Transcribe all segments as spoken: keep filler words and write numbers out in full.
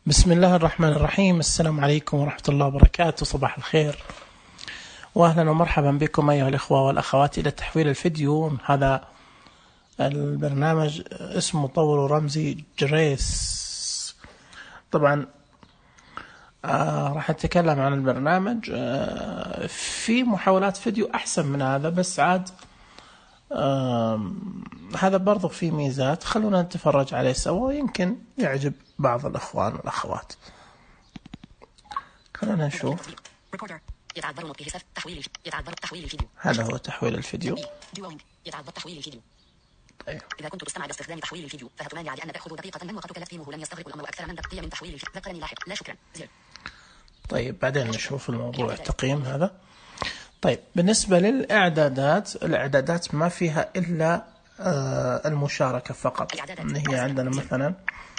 بسم الله الرحمن الرحيم. السلام عليكم ورحمة الله وبركاته. صباح الخير وأهلا ومرحبا بكم أيها الإخوة والأخوات إلى تحويل الفيديو. هذا البرنامج اسمه مطور رمزي جريس. طبعا آه راح نتكلم عن البرنامج. آه في محاولات فيديو أحسن من هذا، بس عاد آه هذا برضو فيه ميزات. خلونا نتفرج عليه سوا، يمكن يعجب بعض الأخوان والأخوات. خلونا نشوف. هذا هو تحويل الفيديو. طيب. إذا كنت تستمع باستخدام تحويل الفيديو فهتمانع لأن تأخذ دقيقة من وقتك تفهمه لن يستغرق الأمر أكثر من دقيقة من تحويل الفيديو. ذكرني لاحق. لا شكرا. زر. طيب بعدين نشوف الموضوع التقييم هذا. طيب بالنسبة للإعدادات، الإعدادات ما فيها إلا آه المشاركة فقط. هي عندنا مثلا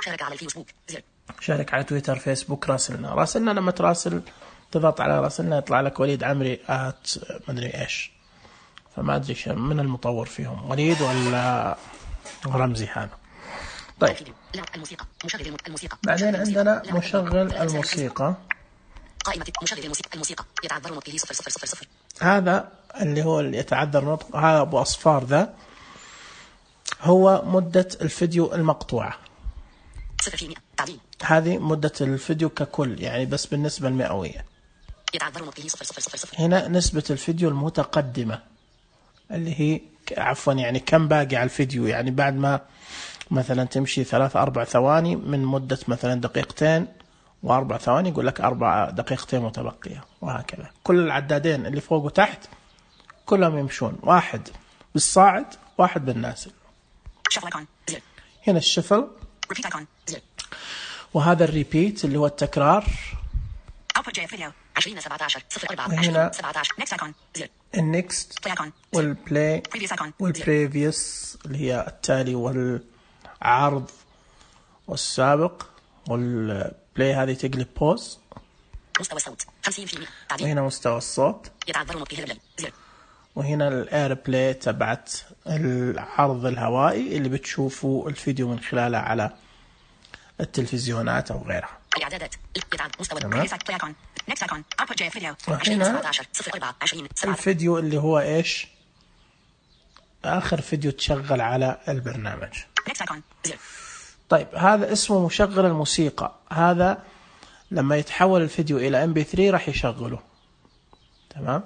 شارك على الفيسبوك، زر. شارك على تويتر، فيسبوك، راسلنا. راسلنا لما تراسل تضغط على راسلنا يطلع لك وليد عمري آت مدري إيش، فما أدري من المطور فيهم، وليد ولا رمزي هذا. طيب بعدين عندنا مشغل الموسيقى. قائمة مشغل الموسيقى. الموسيقى يتعذر نطقه صفر صفر صفر صفر. هذا اللي هو اللي يتعذر نطق، هذا أبو أصفار ذا هو مدة الفيديو المقطوعة. صفر في مئة. تعديل. هذه مدة الفيديو ككل، يعني بس بالنسبة المئوية. يتعذر نطقه صفر صفر صفر صفر. هنا نسبة الفيديو المتقدمة اللي هي عفوا يعني كم باقي على الفيديو، يعني بعد ما مثلا تمشي ثلاث أربع ثواني من مدة مثلا دقيقتين وأربع ثواني يقول لك أربع دقيقتين متبقية، وهكذا. كل العدادين اللي فوق وتحت كلهم يمشون، واحد بالصاعد واحد بالنازل. هنا الشفل، وهذا الريبيت اللي هو التكرار. وهنا النكست والبلاي والبريفيوس اللي هي التالي والعرض والسابق، والبلاي هذه تقلب بوز. مستوى الصوت خمسين بالمئة. وهنا مستوى الصوت. وهنا الاير بلاي تبعت العرض الهوائي اللي بتشوفوا الفيديو من خلاله على التلفزيونات او غيرها. الاعدادات مستوى وهنا الفيديو اللي هو ايش اخر فيديو تشغل على البرنامج. طيب هذا اسمه مشغل الموسيقى. هذا لما يتحول الفيديو الى ام بي ثلاثة راح يشغله. تمام.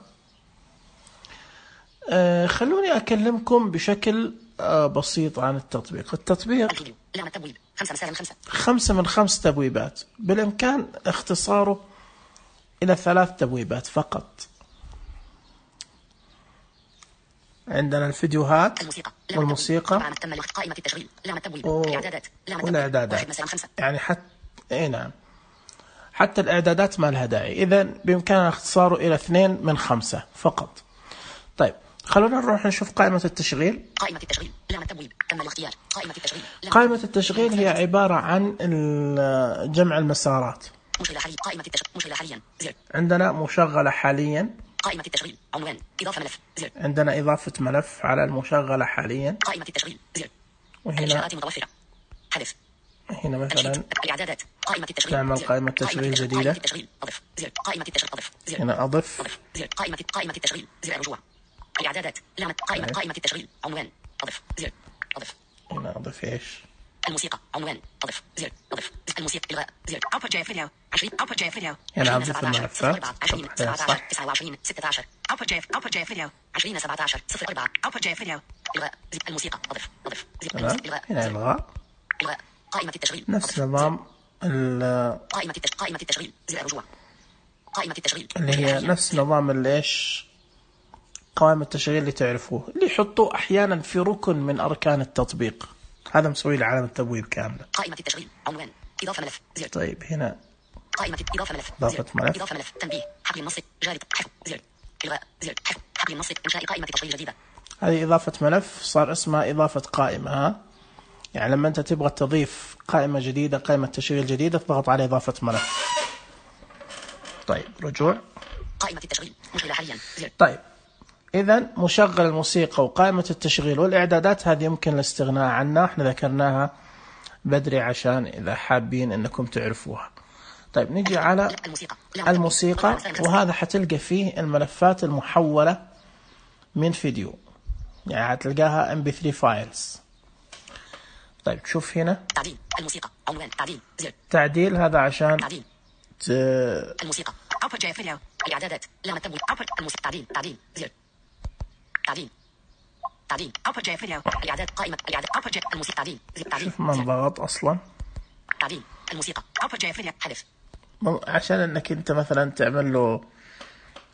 آه خلوني اكلمكم بشكل آه بسيط عن التطبيق. التطبيق خمسة من خمس تبويبات، بالامكان اختصاره الى ثلاث تبويبات فقط. عندنا الفيديوهات والموسيقى والإعدادات. يعني حتى إيه نعم حتى الإعدادات ما لها داعي، إذن بإمكاننا اختصاره إلى اثنين من خمسة فقط. طيب خلونا نروح نشوف قائمة التشغيل. قائمة التشغيل لام التبويب تم الاختيار. قائمة التشغيل قائمة التشغيل هي عبارة عن جمع المسارات. مشغلة حاليا. قائمة التشغيل مشغلة حاليا. زر. عندنا مشغلة حاليا. قائمة التشغيل عنوان إضافة ملف. زر. عندنا إضافة ملف على المشغلة حاليا. قائمة التشغيل. زر. وهنا الإشارات متوفرة. حذف. هنا مثلا الإعدادات. قائمة التشغيل. نعمل قائمة تشغيل جديدة. قائمة التشغيل أضف. زر. قائمة التشغيل أضف. زر. هنا أضف. أضف. زر. قائمة قائمة التشغيل. زر رجوع. الإعدادات. لامة قائمة قائمة التشغيل عنوان أضف. زر. أضف. هنا أضف إيش؟ الموسيقى عنوان أضف. زر. أضف. الموسيقى إلغاء. زر. output j video عشرين output j video. هنا أضف الملفات. عشرين سبعة عشر تسعة وعشرين ستة عشر output j output j video عشرين سبعة عشر صفر أربعة output j video. إلغاء. الموسيقى أضف. أضف. إلغاء. هنا إلغاء. إلغاء. قائمة التشغيل. نفس نظام ال قائمة التشغيل. قائمة التشغيل. زر رجوع. قائمة التشغيل اللي هي نفس نظام الليش قوائم التشغيل اللي تعرفوه، اللي يحطوه أحيانا في ركن من أركان التطبيق. هذا مسوي له علامة تبويب كاملة. قائمة التشغيل عنوان إضافة ملف. زر. طيب هنا قائمة إضافة ملف. إضافة ملف. إضافة ملف. تنبيه. حقل النص جاري. حفظ. زر. إلغاء. زر. حفظ. حقل النص إنشاء قائمة تشغيل جديدة. هذه إضافة ملف صار اسمها إضافة قائمة. ها يعني لما أنت تبغى تضيف قائمة جديدة، قائمة تشغيل جديدة، تضغط على إضافة ملف. طيب رجوع. قائمة التشغيل مشغلة حاليا. زر. طيب إذن مشغل الموسيقى وقائمة التشغيل والإعدادات هذه يمكن الاستغناء عنها، احنا ذكرناها بدري عشان إذا حابين أنكم تعرفوها. طيب نجي على الموسيقى، وهذا حتلقى فيه الملفات المحولة من فيديو، يعني هتلقاها إم بي ثري files. طيب شوف هنا تعديل الموسيقى عنوان تعديل زر تعديل، هذا عشان تعديل ت... الموسيقى output جي فيديو الإعدادات لما تبوي output الموسيقى تعديل تعديل زر تعديل تعديل output جي فيديو الإعداد قائمة الإعداد output جي الموسيقى تعديل زر تعديل شوف ما انضغط أصلا. تعديل الموسيقى output جي فيديو حذف، عشان انك انت مثلا تعمل له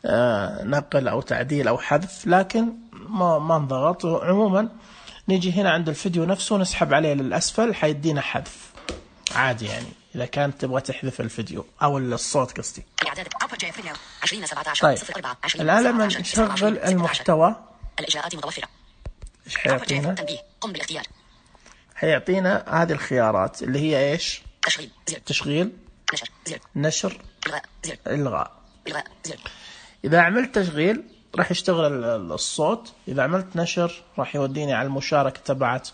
آه نقل او تعديل او حذف، لكن ما ما انضغط. عموما نيجي هنا عند الفيديو نفسه نسحب عليه للاسفل حيدينا حذف عادي، يعني اذا كانت تبغى تحذف الفيديو او الصوت قصدي. طيب الان لما نشغل المحتوى الاجراءات متوفره. ايش حيعطينا؟ تنبيه قم بالاختيار. حيعطينا هذه الخيارات اللي هي ايش؟ تشغيل زر تشغيل نشر زر نشر الغاء زر الغاء. الغاء زر. إذا عملت تشغيل راح يشتغل الصوت، إذا عملت نشر راح يوديني على المشاركة تبعت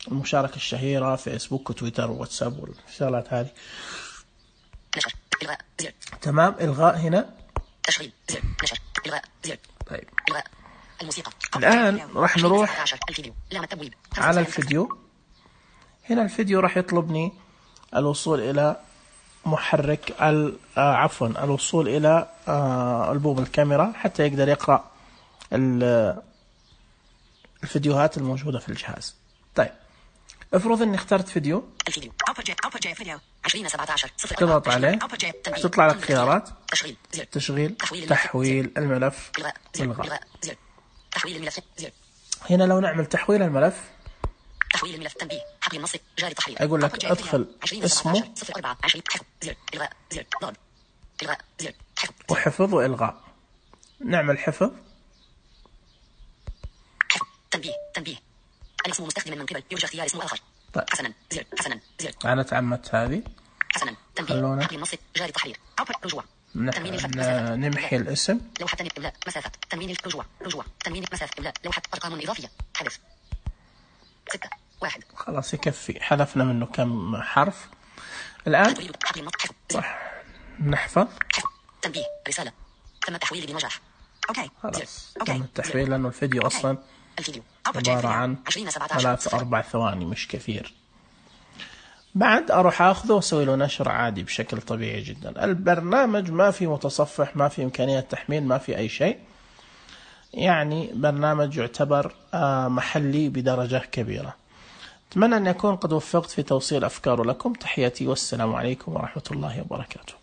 المشاركة الشهيرة فيسبوك وتويتر وواتساب والشغلات هذه. نشر الغاء زر. تمام. الغاء هنا تشغيل زر نشر الغاء زر. طيب الغاء الموسيقى. الآن راح نروح الفيديو لما تبويب على الفيديو. هنا الفيديو راح يطلبني الوصول إلى محرك عفوا الوصول إلى ألبوم الكاميرا حتى يقدر يقرأ الفيديوهات الموجودة في الجهاز. طيب افرض اني اخترت فيديو، الفيديو فيديو عشرين سبعة عشر تضغط عليه تطلع لك خيارات تشغيل زر. تشغيل تحويل, تحويل الملف والغاء زر. تحويل الملف زر. هنا لو نعمل تحويل الملف، تحويل الملف تنبيه حقل النص جاري تحرير، اقول لك ادخل اسمه وحفظ والغاء. نعمل حفظ. تنبيه تنبيه الاسم مستخدما من قبل يرجى اختيار اسم اخر. طيب. حسنا زر حسنا زر. انا تعمدت هذه. حسنا تنبيه حقل النص جاري تحرير رجوع. تنوين الفتح نمحي الاسم. لوحة الإملاء مسافة تنوين رجوع رجوع تنوين مسافة إملاء لوحة أرقام إضافية حذف ستة واحد. خلاص يكفي، حذفنا منه كم حرف. الآن راح نحفظ. تنبيه رسالة تم التحويل بنجاح. أوكي خلاص تم التحويل لأنه الفيديو أصلا عبارة عن ثلاث أربع ثواني مش كثير. بعد أروح أخذه وأسوي له نشر عادي بشكل طبيعي جدا. البرنامج ما في متصفح، ما في إمكانية تحميل، ما في أي شيء، يعني برنامج يعتبر محلي بدرجة كبيرة. أتمنى أن أكون قد وفقت في توصيل أفكاره لكم. تحياتي والسلام عليكم ورحمة الله وبركاته.